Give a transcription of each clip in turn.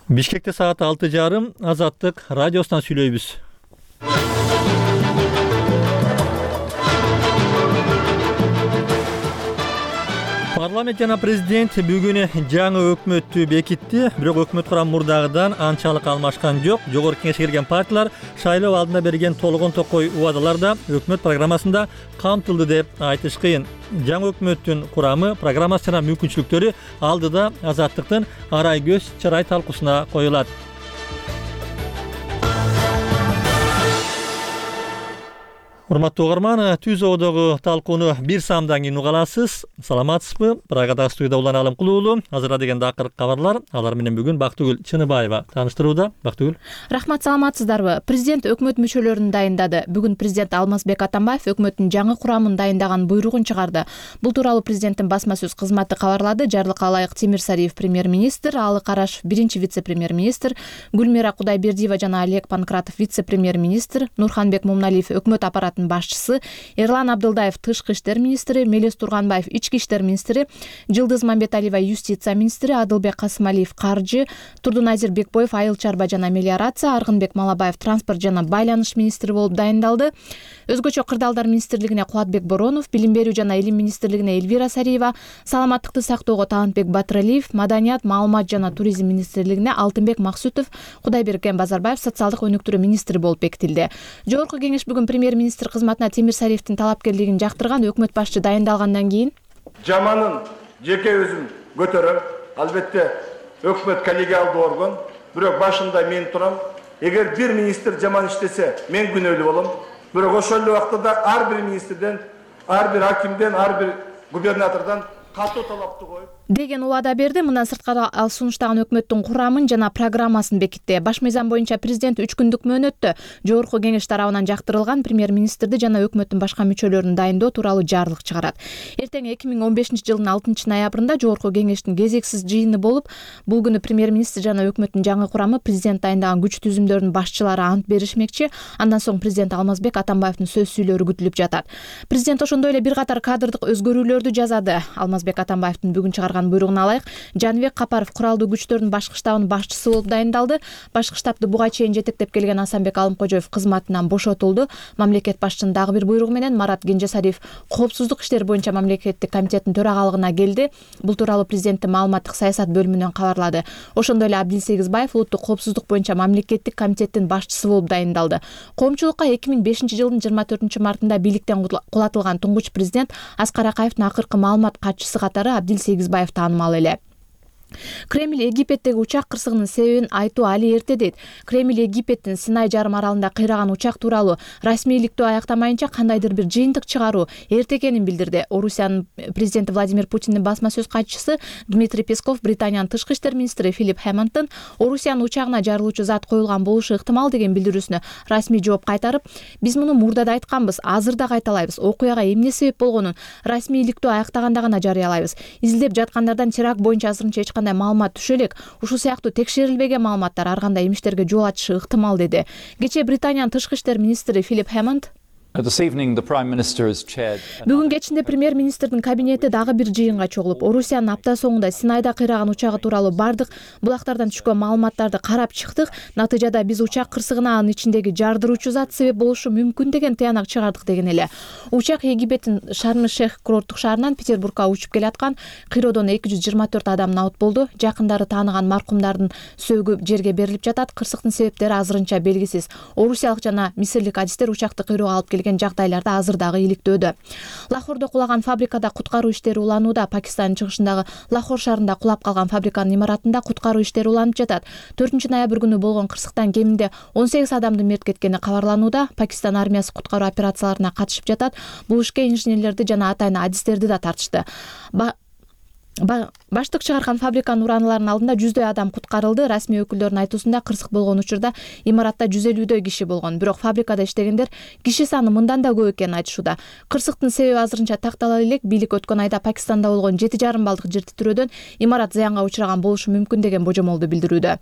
Бишкекте саат 6:30 Азаттык радиосунан сүйлөйбүз. Парламент жана президент бүгүн жаңы өкмөттү бекитти, бирок өкмөт курамы мурдагыдан анчалык алмашкан жок. Жогорку кеңешке кирген партиялар шайлоо алдында берген толгон токой убадаларда өкмөт программасында камтылды деп айтыш кыйын. Жаңы өкмөттүн курамы, программасы жана мүмкүнчүлүктөрү алдыда Азаттыктын арай көз чарай талкуусуна коюлат. Урматтуу угарман, түз оодогу талкууну бир саамдан кийин уга аласыз. Саламатсызбы? Прагадагы студияда Улан Алым Кулуулу. Азырда дегенде акыркы кабарлар. Алар менен бүгүн Бактыгүл Чыныбаева тааныштырууда. Бактыгүл. Рахмат, саламатсыздарбы? Президент өкмөт мүчөлөрүн дайындады. Бүгүн президент Алмазбек Атамбаев өкмөттүн жаңы курамын дайындаган буйругун чыгарды. Бул тууралуу президенттин басма сөз кызматы кабарлады. Жарлыкка ылайык Тимир Сариев премьер-министр, Алы Карашев биринчи вице-премьер-министр, Гүлмира Кудайбердиева жана Олег Панкратов вице-премьер-министр, Нурханбек Мумналиев өкмөт аппараты башчысы, Эрлан Абдылдаев тышкы иштер министри, Мелис Турганбаев ички иштер министри, Жылдыз Мамбеталиева юстиция министри, Адылбек Касымалиев каржы, Турдуназир Бекбоев айыл чарба жана мелиорация, Аргынбек Малабаев транспорт жана байланыш министри болуп дайындалды. Өзгөчө кырдаалдар министрлигине Кубатбек Боронов, Билим берүү жана илим министрлигине Эльвира Сариева, Саламаттыкты сактоого Талантбек Батыралиев, Маданият, маалымат жана туризм министрлигине Алтынбек Максутов, Кудайберген Базарбаев социалдык өнүктүрүү министри болуп бекитилди. Жогорку кеңеш бүгүн премьер-министр кызматына Тимир Сариевдин талапкерлигин жактырган өкмөт башчы дайындалгандан кийин жаманын жеке өзүм көтөрөм. Албетте өкмөт коллегиалдуу орган, бирок башында мен турам. Эгер бир министр жаман иштесе, мен күнөөлүү болом. Бирок ошол эле убакта ар бир министрден, ар бир акимден, ар бир губернатордон катуу талапты коюп деген убада берди. Мындан сырткары ал сунуштаган өкмөттүн курамын жана программасын бекитти. Баш мыйзам боюнча президент 3 күндүк мөөнөттө жогорку кеңеш тарабынан жактырылган премьер-министрди жана өкмөттүн башка мүчөлөрүн дайындоо тууралуу жарлык чыгарат. Эртең 2015-жылдын 6-ноябрында жогорку кеңештин кезексиз жыйыны болуп, бул күнү премьер-министр жана өкмөттүн жаңы курамы президент дайындаган күч түзүмдөрдүн башчылары ант беришмекчи. Андан соң президент Алмазбек Атамбаевдин сөз сүйлөөрү күтүлүп жатат. Президент ошондой эле бир катар кадрдык өзгөрүүлөрдү жазады. Алмазбек Атамбаевдин бүгүн чыгарган буйругуна ылайык Жаныбек Капаров куралдуу күчтөрдүн башкы штабынын башчысы болуп дайындалды. Башкы штабты буга чейин жетектеп келген Асанбек Алымкожоев кызматынан бошотулду. Мамлекет башчынын дагы бир буйругу менен Марат Кенжесариев коопсуздук иштери боюнча мамлекеттик комитеттин төрагалыгына келди. Бул тууралуу президенттин маалыматтык саясат бөлүмүнөн кабарлады. Ошондой эле Абдил Сегизбаев улуттук коопсуздук боюнча мамлекеттик комитеттин башчысы болуп дайындалды. Коомчулукка 2005-жылдын 24-мартында бийликтен кулатылган туңгуч президент Аскар Акаевдин акыркы маалымат катчысы катары Абдил Сегизбаев таанымал эле. Кремль Египеттеги учак кырсыгынын себебин айтуу али эрте дейт. Кремль Египеттин Синай жарым аралында кыйраган учак тууралуу расмийликтүү аяктамайынча кандайдыр бир жыйынтык чыгаруу эрте экенин билдирди. Орусиянын президенти Владимир Путиндин басма сөз катчысы Дмитрий Песков Британиянын тышкы иштер министри Филипп Хэммонддун Орусиянын учагына жарылуучу зат коюлган болушу ыктымал деген билдирүүсүнө расмий жооп кайтарып, биз муну мурда да айтканбыз, азыр да кайталайбыз. Окуяга эмне себеп болгонун расмийликтүү аяктаганда гана жарыялайбыз. Изилдеп жаткандардан теракт боюнча азырынча эч кандай маалымат түшө элек. Ушул сыяктуу текшерилбеген маалыматтар ар кандай имиштерге жол ачышы ыктымал деди. Кечээ Британиянын тышкы иштер министри Филипп Хэммонд Бүгүн кечинде премьер-министрдин кабинети дагы бир жыйынга чогулуп, Орусиянын апта соңунда Синайда кыйраган учагы тууралуу бардык булактардан түшкөн маалыматтарды карап чыктык. Натыйжада биз учак кырсыгына анын ичиндеги жардыруучу зат себеп болушу мүмкүн деген тыянак чыгардык деген эле. Учак Египеттин Шарм-эль-Шейх курорттук шаарынан Петербургга учуп келаткан кыйроодон 224 адам набыт болду. Жакындары тааныган маркумдардын сөөгү жерге берилип жатат. Кырсыктын себептери азырынча белгисиз. Орусиялык жана мисирлик адистер учакты кыйроого алып жагдайларда азыр дагы иликтөөдө. Лахордо кулаган фабрикада куткаруу иштери уланууда. Пакистандын чыгышындагы Лахор шаарында кулап калган фабриканын имаратында куткаруу иштери уланып жатат. 4-ноябрь күнү болгон кырсыктан кеминде 18 адамдын мерт кеткени кабарланууда. Пакистан армиясы куткаруу операцияларына катышып жатат. Бул ишке инженерлерди жана атайын адистерди да тартышты. Баштык чыгарган фабриканын урааныларынын алдында 100дөй адам куткарылды. Расмий өкүлдөрдүн айтуусунда кырсык болгон учурда имаратта 150дөй киши болгон. Бирок фабрикада иштегендер киши саны мындан да көп экенин айтышууда. Кырсыктын себеби азырынча тактала элек. Бийлик өткөн айда Пакистанда болгон 7,5 баллдык жер титирөөдөн имарат зыянга учураган болушу мүмкүн деген божомолду билдирүүдө.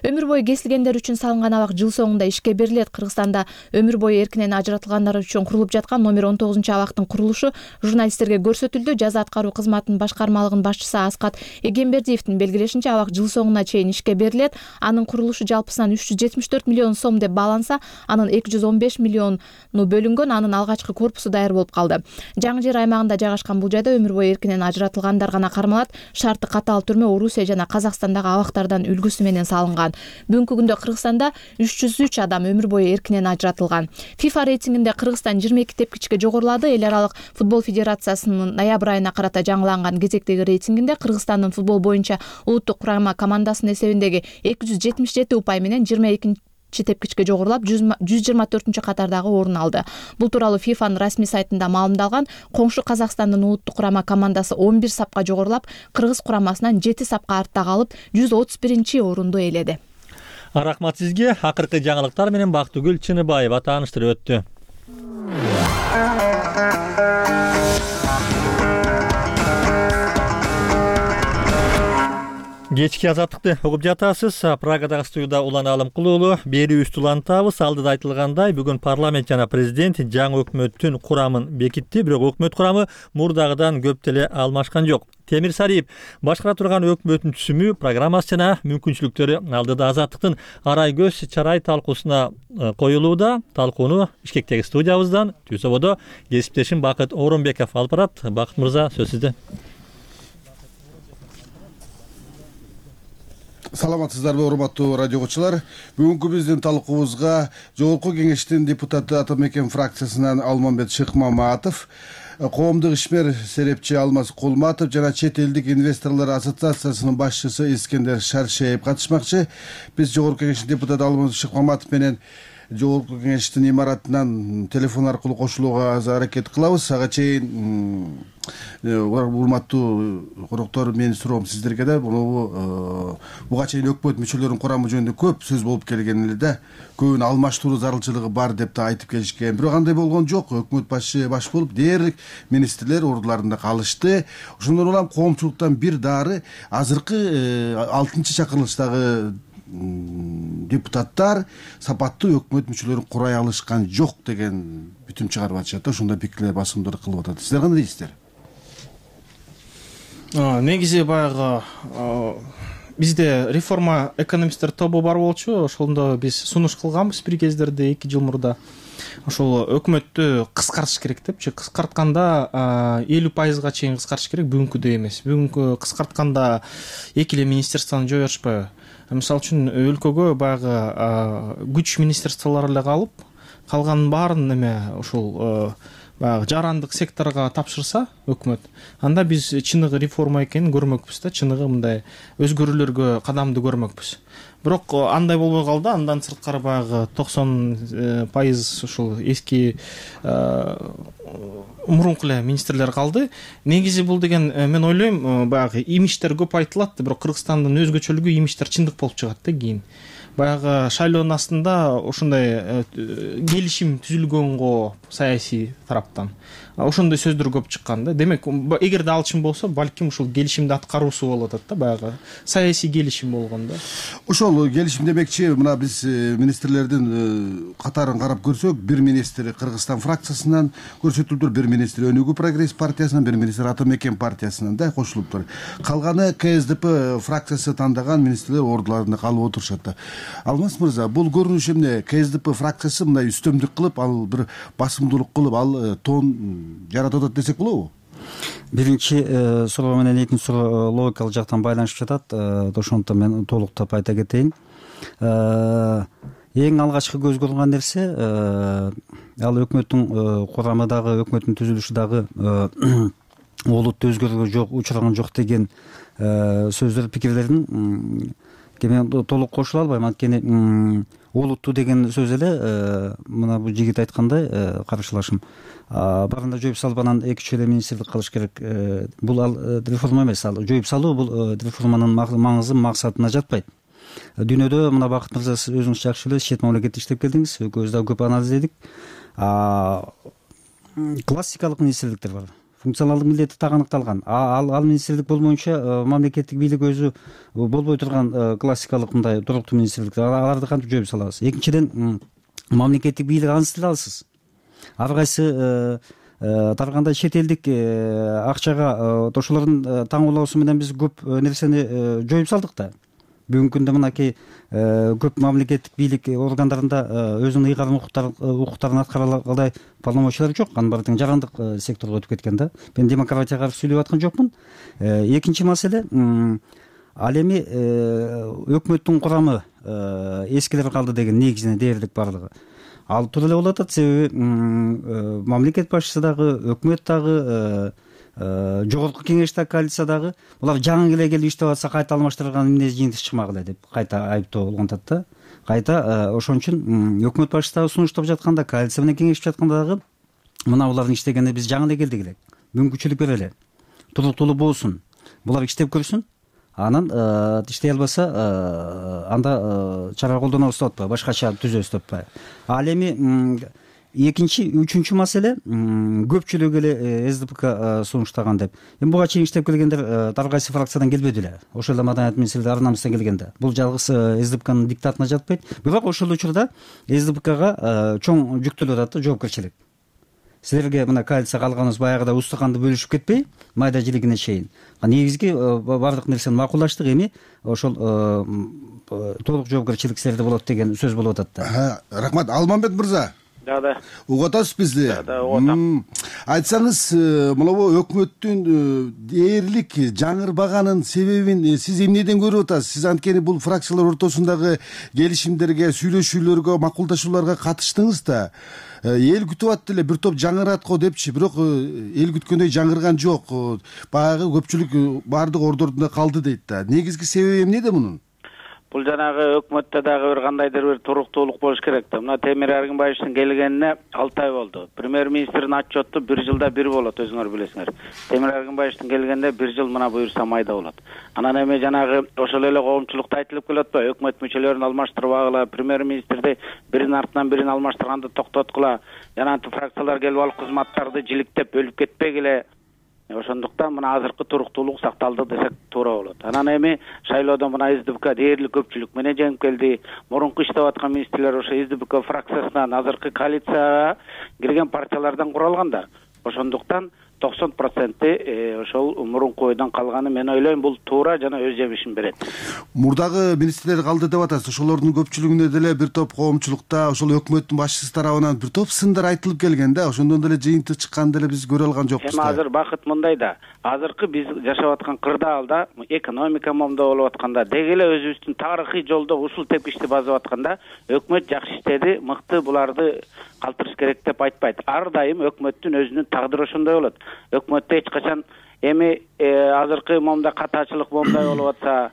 Өмүр бою кесилгендер үчүн салынган абак жыл соңунда ишке берилет. Кыргызстанда өмүр бою эркинен ажыратылгандар үчүн курулуп жаткан номер 19 абактын курулушу журналисттерге көрсөтүлдү. Жаза аткаруу кызматынын башкармалыгынын башчысы Аскат Эгембердиевдин белгилешинче абак жыл соңуна чейин ишке берилет. Анын курулушу жалпысынан 374 миллион сом деп бааланса, анын 215 миллиону бөлүнгөн, анын алгачкы корпусу даяр болуп калды. Жаңы жер аймагында жайгашкан бул жайда өмүр бою эркинен ажыратылгандар гана кармалат. Шарты катаал түрмө Орусия жана Казакстандагы абактардан үлгүсү менен салынган. Бүгүнкү күндө Кыргызстанда 303 адам өмүр бою эркинен ажыратылган. FIFA рейтингинде Кыргызстан 22 тепкичке жогорулады. Эл аралык футбол федерациясынын ноябрь айына карата жаңыланган кезектеги рейтингинде Кыргызстандын футбол боюнча улуттук курама командасынын эсебиндеги 277 упай менен 22 тепкичке жогорулап 124 катардагы орун алды. Бул тууралуу FIFAнын расмий сайтында маалымдалган. Коңшу Казакстандын улуттук курама командасы 11 сапка жогорулап, Кыргыз курамасынан 7 сапка артта калып, 131 орунду ээледи. Рахмат сизге. Акыркы жаңылыктар менен Бактыгүл Чыныбаева тааныштырып өттү. Кечки азаттыкты угуп жатасыз. Прагадагы студияда Улан Алымкулуу. Берүүбүздү улантабыз. Алдыда айтылгандай, бүгүн парламент жана президент жаңы өкмөттүн курамын бекитти. Бирок өкмөт курамы мурдагыдан көп деле алмашкан жок. Темир Сариев башкара турган өкмөттүн түзүмү, программасы жана мүмкүнчүлүктөрү алдыда азаттыктын арай көз чарай талкуусуна коюлууда. Талкууну Бишкектеги студиябыздан Түзөбодо кесиптешим Бакыт Оронбеков алып барат. Бакыт мырза, сөз сизде. Саламатсыздарбы, урматтуу радио угуучулар. Бүгүнкү биздин талкуубузга Жогорку Кеңештин депутаты Атамекен фракциясынан Алмамбет Шыкмаматов, коомдук ишмер серепчи Алмаз Кулматов жана чет элдик инвесторлор ассоциациясынын башчысы Искендер Шаршеев катышмакчы. Биз Жогорку Кеңештин депутаты Алмаз Шыкмаматов менен Жогорку Кеңештин имаратынан телефон аркылуу кошулууга аракет кылабыз. Ага чейин урматтуу коноктор, менин суроом сиздерге да, буга чейин өкмөт мүчөлөрүнүн курамы жөнүндө көп сөз болуп келген эле да, көбүн алмаштыруу зарылчылыгы бар деп да айтып келишкен. Бирок андай болгон жок. Өкмөт башчы баш болуп, дээрлик министрлер ордуларында калышты. Ошондон улам коомчулуктан бир дары азыркы 6-чакырылыштагы депутаттар сапаттуу өкмөт мүчөлөрүн курай алышкан жок деген бүтүм чыгарып атышат. Ошондой пикирлер, басымдарды кылып атат. Сиздер кандай дейсиздер? Негизи баягы бизде реформа экономисттер тобу бар болчу. Ошондо биз сунуш кылганбыз бир кездерде 2 жыл мурда. Ошол өкмөттү кыскартыш керек депчи. Кыскартканда 50% чейин кыскартыш керек, бүгүнкүдөй эмес. Бүгүнкү кыскартканда 2 эле министерствону жойбошпайбы? Мисалы үчүн өлкөгө баягы күч министерстволор эле калып, калганын баарын ушул баягы жарандык секторго тапшырса өкмөт, анда биз чыныгы реформа экенин көрмөкпүз да, чыныгы мындай өзгөрүүлөргө кадамды көрмөкпүз. Бирок андай болбой калды. Андан сырткары баягы 90% ушул эски мурунку эле министрлер калды. Негизи бул деген, мен ойлойм, баягы имиштер көп айтылат, бирок Кыргызстандын өзгөчөлүгү имиштер чындык болуп чыгат да кийин. Баягы шайлоонун астында ошондой келишим түзүлгөнгө саясий тараптан ошондой сөздөр көп чыккан да. Демек, эгерде ал чын болсо, балким ушул келишимди аткаруусу болуп атат да, баягы саясий келишим болгон да. Ошол келишим демекчи, мына биз министрлердин катарын карап көрсөк, бир министр Кыргызстан фракциясынан көрсөтүлүптүр, бир министр Өнүгүү прогресс партиясынан, бир министр Атамекен партиясынан да кошулуптур. Калганы КСДП фракциясы тандаган министрлер ордуларында калып отурушат да. Алмаз мырза, бул көрүнүш эмне? КСДП фракциясы мындай үстөмдүк кылып, ал бир басымдуулук кылып, ал тон жаратып атат десек болобу? Биринчи суроо менен экинчи суроо логикалык жактан байланышып жатат. Ошондуктан мен толуктап айта кетейин. Эң алгачкы көз көргөн нерсе ал өкмөттүн курамындагы, өкмөттүн түзүлүшү дагы олуттуу өзгөрүүгө учураган жок деген сөздөр, пикирлердин мен толук кошула албайм. Анткени олуттуу деген сөз эле мына бул жигит айткандай карашылашым барында жоюп салып, анан 2-3 эле министрлик калыш керек. Бул ал реформа эмес. Ал жоюп салуу бул реформанын маңызы, максатына жатпайт. Дүйнөдө мына Бакыт мырза, сиз өзүңүз жакшы билесиз, чет мамлекетте иштеп келдиңиз, экөөбүз дагы көп анализдедик. Классикалык министрликтер бар. Функционалдык милдети так аныкталган. Ал министрлик болмоюнча мамлекеттик бийлик өзү болбой турган классикалык мындай туруктуу министрликтер, аларды кантип жоюп салабыз? Экинчиден, мамлекеттик бийлик ансыздыра аласыз. Ар кайсы таркаганда чет элдик акчага ошолордун таңоолоосу менен биз көп нерсени жоюп салдык да. Бүгүнкү күндө мынакей көп мамлекеттик бийлик органдарында өзүнүн ыйгарым укуктарын аткара алгандай полномочиялар жок. Анын баары тең жарандык секторго өтүп кеткен да. Мен демократияга каршы сүйлөп аткан жокмун. Экинчи маселе, ал эми өкмөттүн курамы эскилер калды деген негизинен дээрлик барлыгы. Ал туура эле болуп атат, себеби мамлекет башчысы дагы, өкмөт дагы, жогорку кеңеш дагы, коалиция дагы булар жаңы эле келип иштеп атса кайта алмаштырган эмне жыйынтык чыкмак эле деп кайта айыптоо болгон атат да. Кайта ошон үчүн өкмөт башчысы дагы сунуштап жатканда, коалиция менен кеңешип жатканда дагы мына булардын иштегенине биз жаңы эле келдик элек. Мүмкүнчүлүк берели. Туруктуулук болсун. Булар иштеп көрсүн. Анан иштей албаса анда чара колдонобуз деп атпайбы, башкача түзөбүз деп атпайбы. Ал эми экинчи, үчүнчү маселе көпчүлүк эле СДПК сунуштаган деп. Эми буга чейин иштеп келгендер ар кайсы фракциядан келбеди эле. Ошол эле маданият министрлиги ар намыстан келгенде. Бул жалгыз СДПКнын диктатына жатпайт. Бирок ошол учурда СДПКга чоң жүктөлүп атат да жоопкерчилик. Силерге мына коалицияга алганыбыз баягыда устаканды бөлүшүп кетпей, майда жилигине чейин. Негизги бардык нерсени макулдаштык, эми ошол толук жоопкерчилик силерде болот деген сөз болуп атат да. Рахмат. Алмамбет мырза. Да. Угуп атасыз бизди? Да, угуп атам. Айтсаңыз, мынабу өкмөттүн дээрлик жаңырбаганын себебин сиз эмнеден көрүп атасыз? Сиз анткени бул фракциялар ортосундагы келишимдерге, сүйлөшүүлөргө, макулдашууларга катыштыңыз да. Эл күтүп атты эле, бир топ жаңырат го депчи, бирок эл күткөндөй жаңырган жок. Баягы көпчүлүк баардык ордордунда калды дейт да. Негизги себеби эмнеде мунун? Бул жанагы өкмөттө дагы бир кандайдыр бир туруктуулук болуш керек да. Мына Темир Эргинбаевдин келгенине 6 ай болду. Премьер-министрдин отчету 1 жылда 1 болот, өзүңөр билесиңер. Темир Эргинбаевдин келгенде 1 жыл мына буюрса майда болот. Анан эми жанагы ошол эле коомчулукта айтылып келип атпайбы? Өкмөт мүчөлөрүн алмаштырбагыла, премьер-министрди биринин артынан бирин алмаштырганды токтоткула, жанагы фракциялар келип алып кызматтарды жиликтеп бөлүп кетпегиле. Ошондуктан мына азыркы туруктуулук сакталды десек туура болот. Анан эми шайлоодо мына СДПК дээрлик көпчүлүк менен жеңип келди. Мурунку иштеп аткан министрлер ошо СДПК фракциясынан азыркы коалицияга кирген партиялардан куралган да. Ошондуктан 90% ошол мурунку ойдон калганы мен ойлойм, бул туура жана өз жемишин берет. Мурдагы министрлер калды деп атасыз. Ошолордун көпчүлүгүнө деле бир топ коомчулукта, ошол өкмөттүн башчысы тарабынан бир топ сындар айтылып келген да. Ошондон деле жыйынтык чыкканын деле биз көрө алган жокпуз да. Эми азыр бакыт мындай да. Азыркы биз жашап аткан кырдаалда, экономика момдо болуп атканда, деги эле өзүбүздүн тарыхый жолдо ушул тепкичти басып атканда, өкмөт жакшы иштеди, мыкты буларды калтырыш керек деп айтпайт. Ар дайым өкмөттүн өзүнүн тагдыры ошондой болот. Өкмөттө эч качан эми азыркы момда катачылык момдай болуп атса,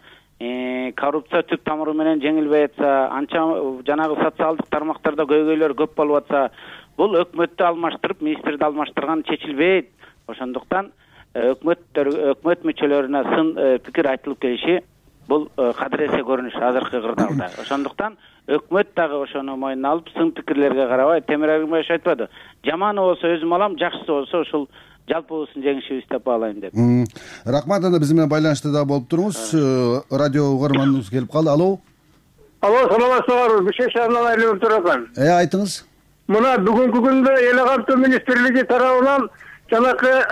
коррупция түп тамыры менен жеңилбей атса, анча жанагы социалдык тармактарда көйгөйлөр көп болуп атса, бул өкмөттү алмаштырып, министрди алмаштырган чечилбейт. Ошондуктан өкмөт мүчөлөрүнө сын пикир айтылып келиши бул кадыресе көрүнүш азыркы кырдаалда. Ошондуктан өкмөт дагы ошону мойнуна алып, сын пикирлерге карабай, Темир Эргинбаев айтпады. Жаманы болсо өзүм алам, жакшысы болсо ушул жалпыбыздын жеңишибиз деп баалайм деп. Рахмат. Анда биз менен байланышта да болуп туруңуз. Радио угарманыбыз келип калды. Алло. Алло, саламатсыздарбы? Бишкек шаарынан айланып турган. Айтыңыз. Мына бүгүнкү күндө эл кантуу министрлиги тарабынан жанакы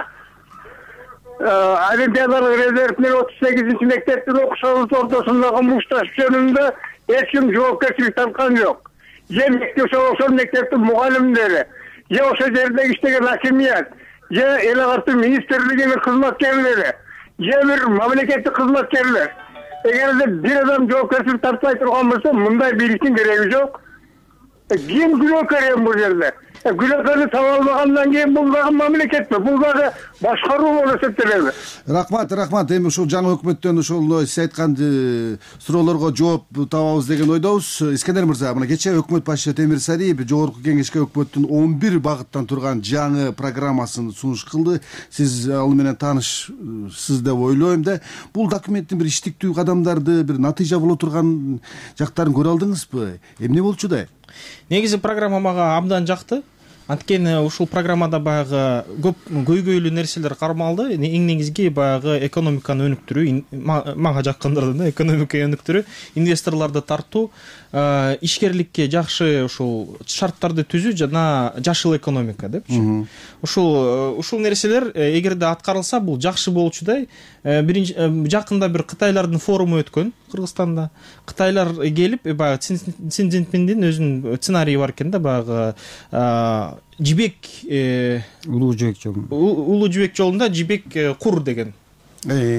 олимпиадалык резерв менен 38 мектептин окуучулары ортосундагы мушташ жөнүндө эч ким жоопкерчилик тарткан жок. Же ошол мектептин мугалимдери, же ошол жерде иштеген акимият, же эл кантуу министрлигинин кызматкерлери, же бир мамлекеттик кызматкерлер. Эгерде бир адам жоопкерчилик тартпай турган болсо, мындай бийликтин кереги жок. Ким күнөөкөр бул жерде? Күнөөкөрдү таба албагандан кийин бул дагы мамлекетпи? Бул дагы башкаруу болуп эсептелеби? Рахмат. Эми ушул жаңы өкмөттөн ошол сиз айткан суроолорго жооп табабыз деген ойдобуз. Искендер мырза, мына кечээ өкмөт башчысы Темир Сариев жогорку кеңешке өкмөттүн 11 багыттан турган жаңы программасын сунуш кылды. Сиз ал менен таанышсыз деп ойлойм да. Бул документтин бир иштиктүү кадамдарды, бир натыйжа боло турган жактарын көрө алдыңызбы? Эмне болчу да? Негизи программа мага абдан жакты. Анткени ушул программада баягы көп көйгөйлүү нерселер кармалды. Эң негизги баягы экономиканы өнүктүрүү, мага жаккандырды да, экономиканы өнүктүрүү, инвесторлорду тартуу, ишкерликке жакшы ушул шарттарды түзүү жана жашыл экономика депчи. Ушул нерселер эгерде аткарылса бул жакшы болчудай. Жакында бир Кытайлардын форуму өткөн Кыргызстанда. Кытайлар келип баягы Си Цзиньпиндин өзүнүн сценарийи бар экен да, баягы жибек улуу жибек жолунда жибек кур деген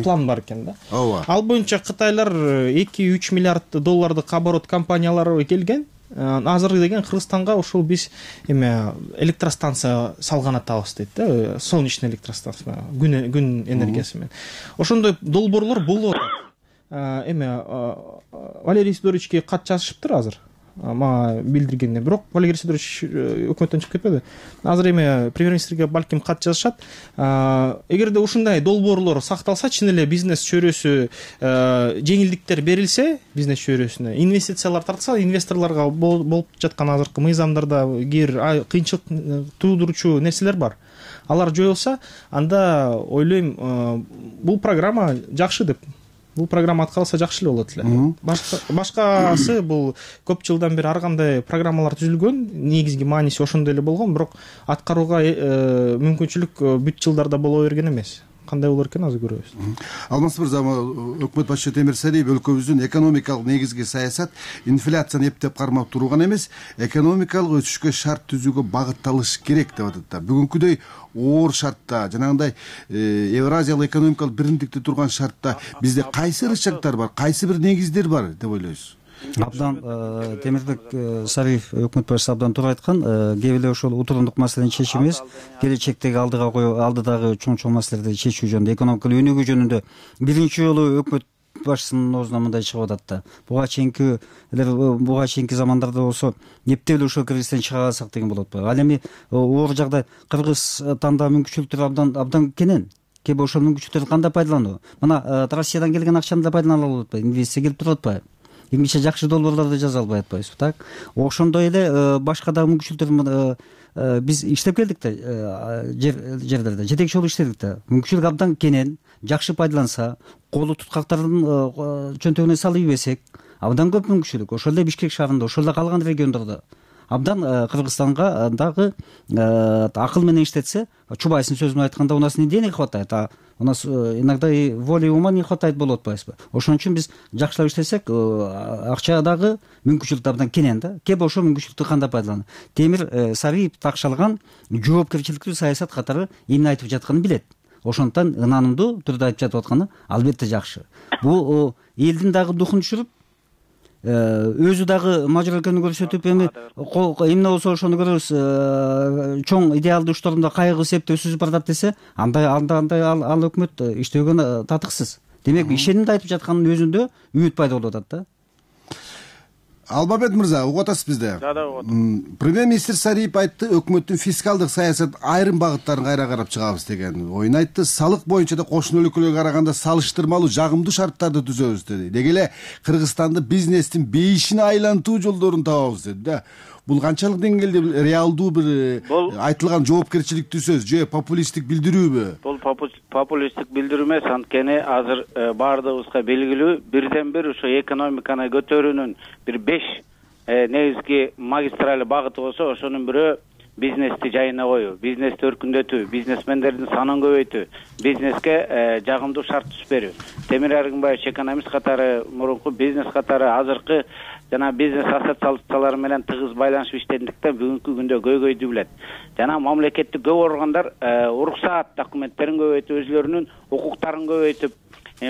план бар экен да. Ооба. Ал боюнча Кытайлар 2-3 миллиард доллардык оборот компаниялары келген. Азыр деген Кыргызстанга ушул биз электростанция салган атабыз дейт да, солнечный электростанция, күн энергиясы менен. Ошондой долбоорлор болуп атат. Валерий Сидоровичке кат жазышыптыр азыр. Мага билдиргенде, бирок Валерий Сидорович өкмөттөн чыгып кетпеди. Азыр премьер-министрге балким кат жазышат. Эгерде ушундай долбоорлор сакталса, чын эле бизнес чөйрөсү жеңилдиктер берилсе, бизнес чөйрөсүнө инвестициялар тартса, инвесторлорго болуп жаткан азыркы мыйзамдарда кыйынчылык туудуручу нерселер бар. Алар жоюлса, анда ойлойм, бул программа жакшы деп. Бул программа аткарылса жакшы эле болот эле. Башкасы бул көп жылдан бери ар кандай программалар түзүлгөн, негизги мааниси ошондой эле болгон, бирок аткарууга мүмкүнчүлүк бүт жылдарда боло берген эмес. Кандай болор экен азыр көрөбүз. Алмаз мырза, өкмөт башчысы Темир Сариев өлкөбүздүн экономикалык негизги саясат инфляцияны эптеп кармап туруу гана эмес, экономикалык өсүшкө шарт түзүүгө багытталыш керек деп атат. Бүгүнкүдөй оор шартта, жанагындай Евразиялык экономикалык биримдикте турган шартта бизде кайсы ырычактар бар, кайсы бир негиздер бар деп ойлойсуз? Абдан Темирбек Сариев өкмөт башчысы абдан туура айткан. Кээ бирде ошол утурундук маселени чечүү эмес, келечектеги алдыдагы чоң маселелерди чечүү жөнүндө, экономикалык өнүгүү жөнүндө биринчи жолу өкмөт башчысынын оозунан мындай чыгып атат да. Буга чейинки замандарда болсо эптеп эле ошол кризистен чыга алсак деген болот го. Ал эми оор жагдай Кыргызстанда мүмкүнчүлүктөр абдан кенен. Кээ ошол мүмкүнчүлүктөрдү кандай пайдалануу? Мына Россиядан келген акчаны да пайдалана алып атпайбы? Инвестиция келип туруп атпайбы? Эмгиче жакшы долбоорлорду жаза албай атпайбызбы, так? Ошондой эле башка дагы мүмкүнчүлүктөр биз иштеп келдик да, жерлерде жетекчи болуп иштедик да. Мүмкүнчүлүк абдан кенен, жакшы пайдаланса, колу туткактардын чөнтөгүнө салып ийбесек, абдан көп мүмкүнчүлүк. Ошол эле Бишкек шаарында, ошол эле калган региондордо абдан Кыргызстанга дагы акыл менен иштетсе, Чубайсынын сөзүн айтканда, у нас не денег хватает, а у нас иногда и воли и ума не хватает болуп атпайбызбы? Ошон үчүн биз жакшылап иштесек, акча дагы мүмкүнчүлүк абдан кенен да. Кээ ошол мүмкүнчүлүктү кандай пайдаланат? Темир Сариев такшалган жоопкерчиликтүү саясат катары эмне айтып жатканын билет. Ошондуктан ынанымдуу түрдө айтып жатып атканы албетте жакшы. Бул элдин дагы духун түшүрүп, өзү дагы мажыр экенин көрсөтүп, эми эмне болсо ошону көрөбүз, чоң идеалдуу ишторунда кайгы септеп сүзүп баратат десе, андай ал өкмөт иштөөгө татыксыз. Демек, ишенимди айтып жатканын өзүндө үмүт пайда болуп атат да. Албабек мырза, угуп атасыз бизде? Да, угуп атам. Премьер-министр Сариев айтты, өкмөттүн фискалдык саясат айрым багыттарын кайра карап чыгабыз деген оюн айтты. Салык боюнча да кошуна өлкөлөргө караганда салыштырмалуу жагымдуу шарттарды түзөбүз деди. Деги эле Кыргызстанды бизнестин бейишине айлантуу жолдорун табабыз деди да. Бул канчалык деңгээлде реалдуу бир айтылган жоопкерчиликтүү сөз же популисттик билдирүүбү? Бул популисттик билдирүү эмес, анткени азыр баардыгыбызга белгилүү, бирден бир ошо экономиканы көтөрүүнүн бир 5 негизги магистраль багыты болсо, ошонун бирөө бизнести жайына коюу, бизнести өркүндөтүү, бизнесмендердин санын көбөйтүү, бизнеске жагымдуу шарт түзүп берүү. Темир Аргынбаевич экономист катары, мурунку бизнес катары азыркы жана бизнес ассоциациялары менен тыгыз байланышып иштедиктен бүгүнкү күндө көйгөйдү билет. Жана мамлекеттик көп органдар уруксаат документтерин көбөйтүп, өзлөрүнүн укуктарын көбөйтүп,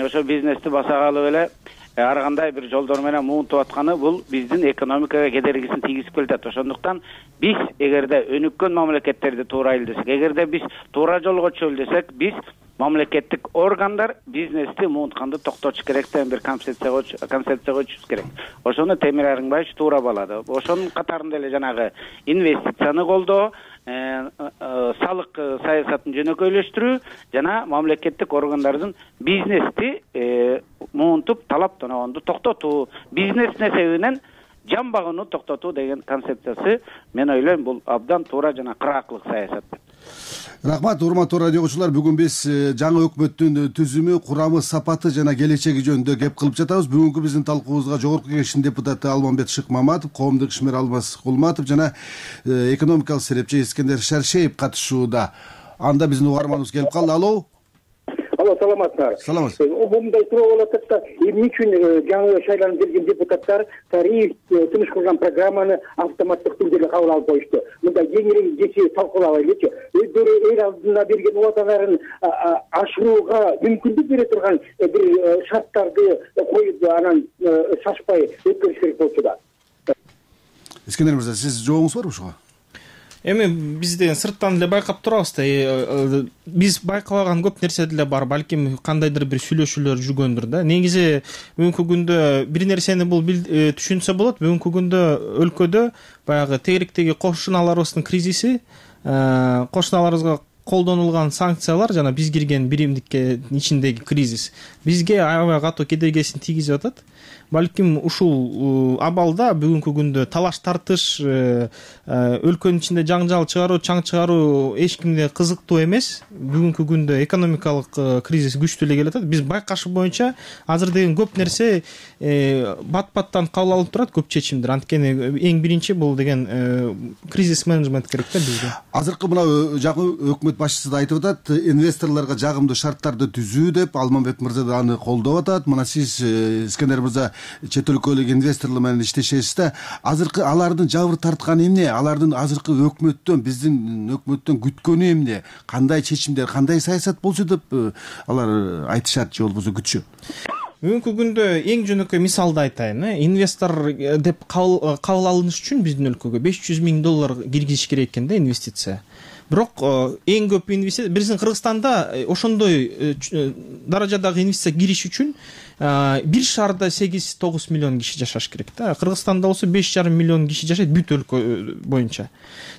ошо бизнести басагалып эле ар кандай бир жолдор менен муунтуп атканы бул биздин экономикага кедергисин тийгизип келатат. Ошондуктан биз эгерде өнүккөн мамлекеттерди туурайлы десек, эгерде биз туура жолго түшөлү десек, биз мамлекеттик органдар бизнести муунтканды токтотуш керек деген бир концепция коюшубуз керек. Ошону Темир Аргынбаевич туура баалады. Ошонун катарында эле жанагы инвестицияны колдоо, салык саясатын жөнөкөйлөштүрүү жана мамлекеттик органдардын бизнести муунтуп талап тоногонду токтотуу, бизнес себебинен жамбагууну токтотуу деген концепциясы мен ойлойм бул абдан туура жана кыраактылык саясат. Рахмат, урматтуу радиочулар. Бүгүн биз жаңы өкмөттүн түзүмү, курамы, сапаты жана келечеги жөнүндө кеп кылып жатабыз. Бүгүнкү биздин талкуубузга Жогорку Кеңештин депутаты Алмамбет Шыкмаматов, коомдук ишмер Алмаз Кулматов жана экономикалык серепчи Искендер Шаршеев катышууда. Анда биздин угарманыбыз келип калды. Алло, саламатсыздар. Саламатсыз. Мындай суроо болуп атат да, эмне үчүн жаңы шайланып келген депутаттар тариф тыныш кылган программаны автоматтык түрдө кабыл алып коюшту? Мындай кеңири кечи талкуулабайлычы. Өздөрү эл алдына берген убадаларын ашырууга мүмкүндүк бере турган бир шарттарды коюп, анан шашпай өткөрүш керек болчу да. Искендер мырза, сиз жообуңуз барбы ушуга? Эми бизден сырттан эле байкап турабыз да. Биз байкабаган көп нерсе деле бар. Балким кандайдыр бир сүйлөшүүлөр жүргөндүр да. Негизи бүгүнкү күндө бир нерсени бул түшүнсө болот. Бүгүнкү күндө өлкөдө баягы тегеректеги кошуналарыбыздын кризиси, кошуналарыбызга колдонулган санкциялар жана биз кирген биримдикке ичиндеги кризис бизге аябай катуу кедергисин тийгизип атат. Балким ушул абалда бүгүнкү күндө талаш тартыш, өлкөнүн ичинде жаңжал чыгаруу, чаң чыгаруу эч кимге кызыктуу эмес. Бүгүнкү күндө экономикалык кризис күчтүү эле келатат. Биз байкашуу боюнча азыр деген көп нерсе бат-баттан кабыл алып турат, көп чечимдер. Анткени эң биринчи бул деген кризис менеджмент керек да бизге. Азыркы мына жаңы өкмөт башчысы да айтып атат, инвесторлорго жагымдуу шарттарды түзүү деп. Алмамбет мырза да аны колдоп атат. Мына сиз, Искендер мырза, чет өлкөлүк инвесторлор менен иштешесиз да. Азыркы алардын жабыр тартканы эмне? Алардын азыркы өкмөттөн, биздин өкмөттөн күткөнү эмне? Кандай чечимдер, кандай саясат болчу деп алар айтышат же болбосо күтүшөт? Бүгүнкү күндө эң жөнөкөй мисалды айтайын. Инвестор деп кабыл алыныш үчүн биздин өлкөгө $500,000 киргизиш керек экен да, инвестиция. Бирок эң көп инвестиция биздин Кыргызстанда ошондой даражадагы инвестиция кириш үчүн бир шаарда 8-9 миллион киши жашаш керек да. Кыргызстанда болсо 5,5 миллион киши жашайт бүт өлкө боюнча.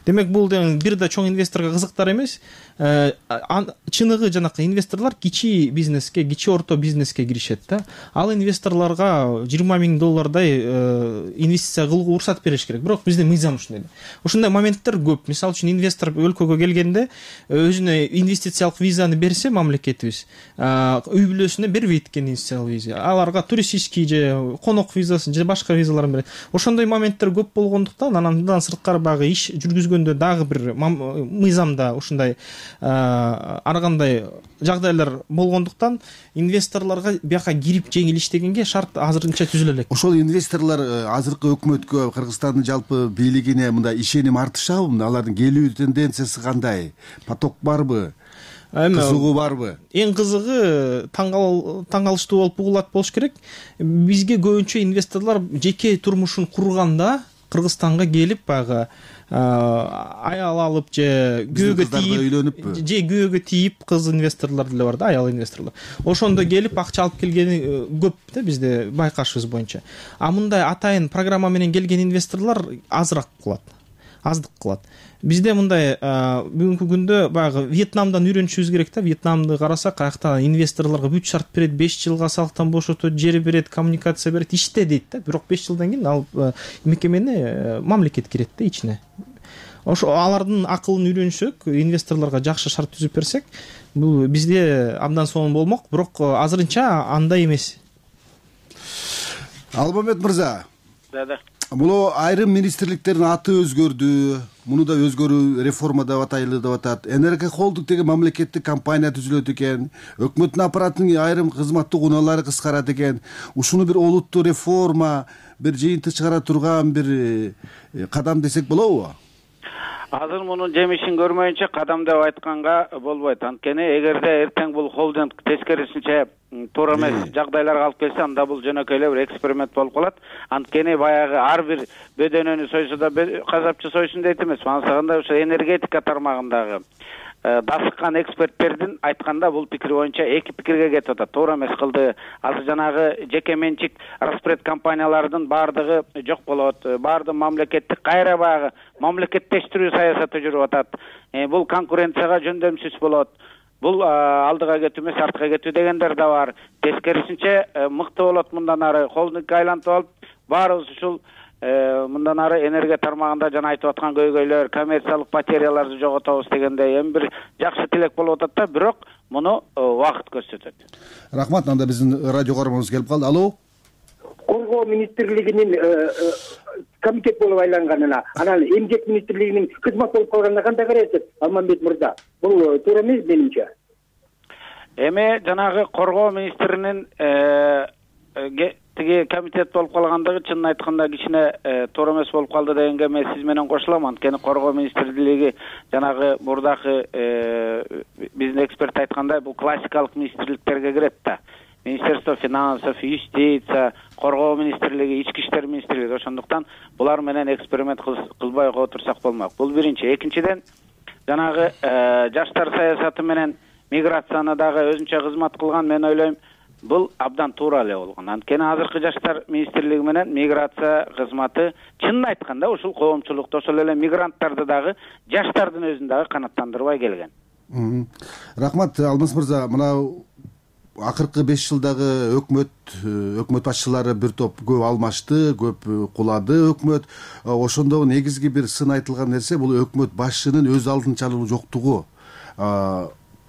Демек бул бир да чоң инвесторго кызыктар эмес. Чыныгы жанакы инвесторлор кичи бизнеске, кичи орто бизнеске киришет да. Ал инвесторлорго $20,000 инвестиция кылууга уруксат бериш керек. Бирок биздин мыйзам ушундай. Ошондой моменттер көп. Мисалы үчүн инвестор өлкөгө келгенде өзүнө инвестициялык визаны берсе мамлекетибиз, үй бүлөсүнө бербейт экен инвестициялык виза. Аларга туристический же конок визасын же башка визаларын берет. Ошондой моменттер көп болгондуктан андан сырткары багы иш жүргүзгөндө дагы бир мыйзамда ушундай ар кандай жагдайлар болгондуктан инвесторлорго бияка кирип жеңил иштегенге шарт азырынча түзүлө элек. Ошол инвесторлор азыркы өкмөткө, Кыргызстандын жалпы бийлигине мындай ишеним артышабы? Алардын келүү тенденциясы кандай? Поток барбы? Кызыгуу барбы? Эң кызыгы таң калыштуу болуп угулат болуш керек. Бизге көбүнчө инвесторлор жеке турмушун курганда Кыргызстанга келип баягы аял алып же күйөөгө тийип кыз инвесторлор деле бар да, аял инвесторлор. Ошондо келип акча алып келгени көп да бизде байкашыбыз боюнча. А мындай атайын программа менен келген инвесторлор аздык кылат. Бизде мындай бүгүнкү күндө баягы Вьетнамдан үйрөнүшүбүз керек да. Вьетнамды карасак, аякта инвесторлорго бүт шарт берет, 5 жылга салыктан бошотот, жер берет, коммуникация берет, иште дейт да. Бирок 5 жылдан кийин ал мекемени мамлекет кирет да ичине. Ошо алардын акылын үйрөнсөк, инвесторлорго жакшы шарт түзүп берсек, бул бизде абдан сонун болмок, бирок азырынча андай эмес. Алмамбет мырза. Да. Бул айрым министрликтердин аты өзгөрдү. Муну да өзгөрүү реформа деп атайлы деп атат. НРК Холдинг деген мамлекеттик компания түзүлөт экен. Өкмөттүн аппаратынын айрым кызматтык унаалары кыскарат экен. Ушуну бир олуттуу реформа, бир жыйынтык чыгара турган бир кадам десек болобу? Азыр мунун жемишин көрмөйүнчө кадам деп айтканга болбойт. Анткени эгерде эртең бул холдинг тескерисинче туура эмес жагдайларга алып келсе, анда бул жөнөкөй эле бир эксперимент болуп калат. Анткени баягы ар бир бөдөнөнү сойсо да казапчы сойсун дейт эмес. Ансаганда ошо энергетика тармагындагы дасыккан эксперттердин айтканда бул пикир боюнча эки пикирге кетип атат. Туура эмес кылды. Азыр жанагы жеке менчик распред компаниялардын баардыгы жок болот. Баардык мамлекеттик кайра баягы мамлекеттештирүү саясаты жүрүп атат. Бул конкуренцияга жөндөмсүз болот. Бул алдыга кетүү эмес, артка кетүү дегендер да бар. Тескерисинче мыкты болот мындан ары холдингге айлантып алып, баарыбыз ушул мындан ары энергия тармагында жана айтып аткан көйгөйлөр, коммерциялык потеряларды жоготобуз дегендей эми бир жакшы тилек болуп атат да, бирок муну убакыт көрсөтөт. Рахмат. Анда биздин радио көрөрмөнүбүз келип калды. Алло. Коргоо министрлигинин комитет болуп айланганына, анан эмгек министрлигинин кызмат болуп калганына кандай карайсыз, Алмамбет мырза? Бул туура эмес менимче. Эми жанагы коргоо министринин тиги комитет болуп калгандыгы чынын айтканда кичине туура эмес болуп калды дегенге мен сиз менен кошулам. Анткени коргоо министрлиги жанагы мурдакы биздин эксперт айткандай бул классикалык министрликтерге кирет да. Министерство финансов, юстиция, коргоо министрлиги, ички иштер министрлиги. Ошондуктан булар менен эксперимент кылбай отурсак болмок. Бул биринчи. Экинчиден, жанагы жаштар саясаты менен миграцияны дагы өзүнчө кызмат кылган, мен ойлойм, бул абдан туура эле болгон. Анткени азыркы жаштар министрлиги менен миграция кызматы чынын айтканда ушул коомчулукту, ошол эле мигранттарды дагы, жаштардын өзүн дагы канааттандырбай келген. Рахмат, Алмаз мырза. Мына акыркы 5 жылдагы өкмөт башчылары бир топ көп алмашты, көп кулады өкмөт. Ошондо негизги бир сын айтылган нерсе бул өкмөт башчынын өз алдынчалыгы жоктугу,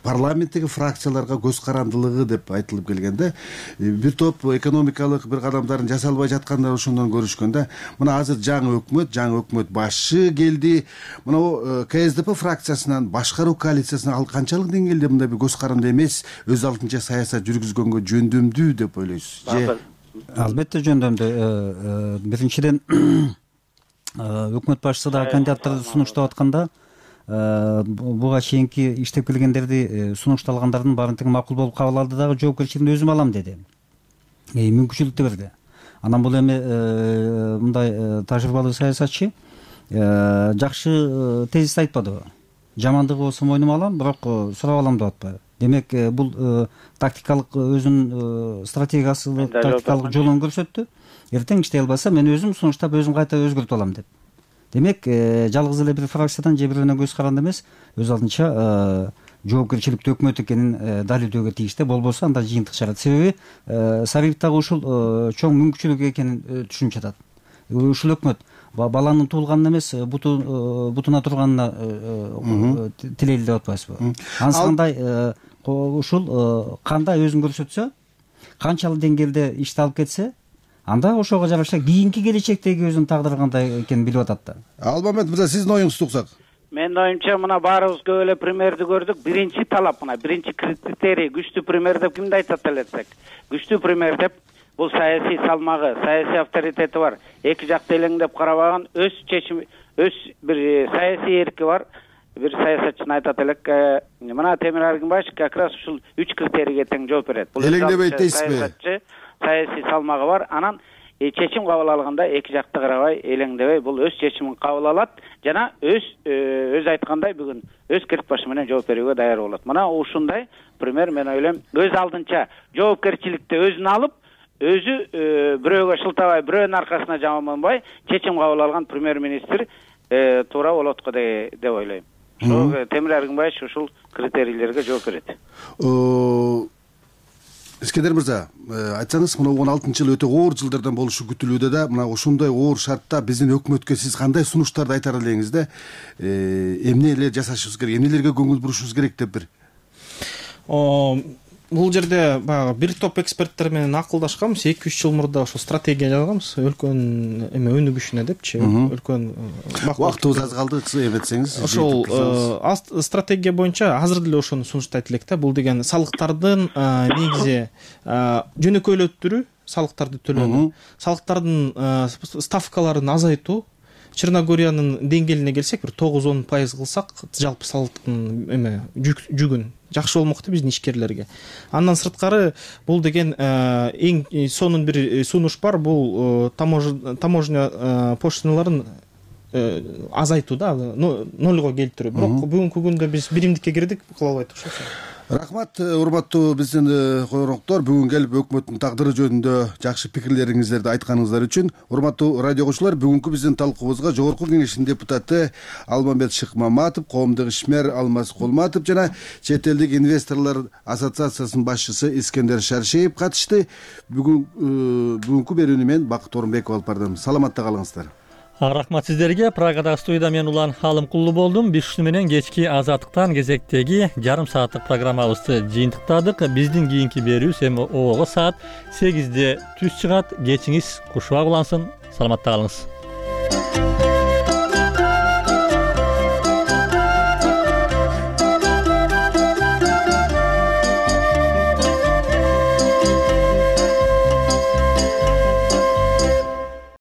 парламенттеги фракцияларга көз карандылыгы деп айтылып келгенде, бир топ экономикалык бир кадамдарын жасалбай жатканда ошондон көрүшкөндө, мына азыр жаңы өкмөт башчы келди. Мына КСДП фракциясынан башкаруу коалициясына ал канчалык деңгээлде мындай бир көз каранды эмес, өз алдынча саясат жүргүзгөнгө жөндөмдүү деп ойлойсуз? Албетте жөндөмдүү. Биринчиден өкмөт башчысы дагы кандидаттарды сунуштап атканда, буга чейинки иштеп келгендерди сунушталгандардын баарын тең макул болуп кабыл алды дагы жоопкерчилигин өзүм алам деди. Мүмкүнчүлүктү берди. Анан бул эми мындай тажрыйбалуу саясатчы жакшы тезис айтпадыбы? Жамандыгы болсо мойнума алам, бирок сурап алам деп атпайбы? Демек, бул тактикалык өзүнүн стратегиясы, тактикалык жолун көрсөттү. Эртең иштей албаса мен өзүм сунуштап, өзүм кайта өзгөртүп алам деп. Демек, жалгыз эле бир фракциядан же бирөөнө көз каранды эмес, өз алдынча жоопкерчиликтүү өкмөт экенин далилдөөгө тийиштүү. Болбосо анда жыйынтык чыгат. Себеби Сарыев дагы ушул чоң мүмкүнчүлүк экенин түшүнүп жатат. Ушул өкмөт баланын туулганын эмес, бутуна турганына тилейли деп атпайсызбы? Анысы кандай ушул кандай өзүн көрсөтсө, канчалык деңгээлде ишти алып кетсе, анда ошого жараша кийинки келечектеги өзүнүн тагдыры кандай экенин билип атат да. Алмамбет мырза, сиздин оюңузду уксак. Менин оюмча, мына баарыбыз көп эле примерди көрдүк. Биринчи талап, мына биринчи критерий күчтүү пример деп кимди айтат элесек? Күчтүү пример деп бул саясий салмагы, саясий авторитети бар, эки жакты элеңдеп карабаган, өз чечими, өз бир саясий эрки бар. Бир саясатчы айтат элек, мына Темир Аргынбаев как раз ушул 3 критерийге тең жооп берет. Бул элеңдебейт дейсизби? Саясий салмагы бар, анан чечим кабыл алганда эки жакты карабай, элеңдебей бул өз чечимин кабыл алат жана өз айткандай бүгүн өз кирт башы менен жооп берүүгө даяр болот. Мына ушундай пример, мен ойлойм, өз алдынча жоопкерчиликти өзүнө алып, өзү бирөөгө шылтабай, бирөөнүн аркасына жаманбай чечим кабыл алган премьер-министр туура болот го деп ойлойм. Ошол Темир Аргынбаев ушул критерийлерге жооп берет. Искендер мырза, айтсаңыз, мына 16-жыл өтө оор жылдардан болушу күтүлүүдө да, мына ушундай оор шартта биздин өкмөткө сиз кандай сунуштарды айтар элеңиз да, эмне эле жасашыбыз керек, эмнелерге көңүл бурушубуз керек деп бир. Бул жерде баягы бир топ эксперттер менен акылдашканбыз, 2-3 жыл мурда ошол стратегия жазганбыз, өлкөнүн өнүгүшүнө депчи, өлкөнүн убактыбыз аз калды, эметсеңиз. Ошол стратегия боюнча азыр деле ошону сунуштайт элек да. Бул деген салыктардын негизи жөнөкөйлөттүрүү, салыктарды төлөөнү, салыктардын ставкаларын азайтуу. Черногориянын деңгээлине келсек, бир 9-10% кылсак, жалпы салыктын жүгүн жакшы болмокто биздин ишкерлерге. Андан сырткары бул деген эң сонун бир сунуш бар, бул таможня пошталарын азайтуу да, нольго келтирүү. Бирок бүгүнкү күндө биз биримдикке кирдик, кыла албайт окшойт. Рахмат, урматтуу биздин коноктор, бүгүн келип өкмөттүн тагдыры жөнүндө жакшы пикирлериңиздерди айтканыңыздар үчүн. Урматтуу радио окуучулар, бүгүнкү биздин талкуубузга Жогорку Кеңештин депутаты Алмамбет Шыкмаматов, коомдук ишмер Алмаз Кулматов жана чет элдик инвесторлор ассоциациясынын башчысы Искендер Шаршеев катышты. Бүгүнкү берүүнү мен Бакыт Орунбеков алып бардым. Саламатта калыңыздар. Рахмат сиздерге. Прагада студияда мен Улан Халымкулуу болдум. Биз ушу менен кечки азаттыктан кезектеги жарым сааттык программабызды жыйынтыктадык. Биздин кийинки берүүбүз эми обого саат 8-де түз чыгат. Кечиңиз кушубак улансын. Саламатта калыңыз.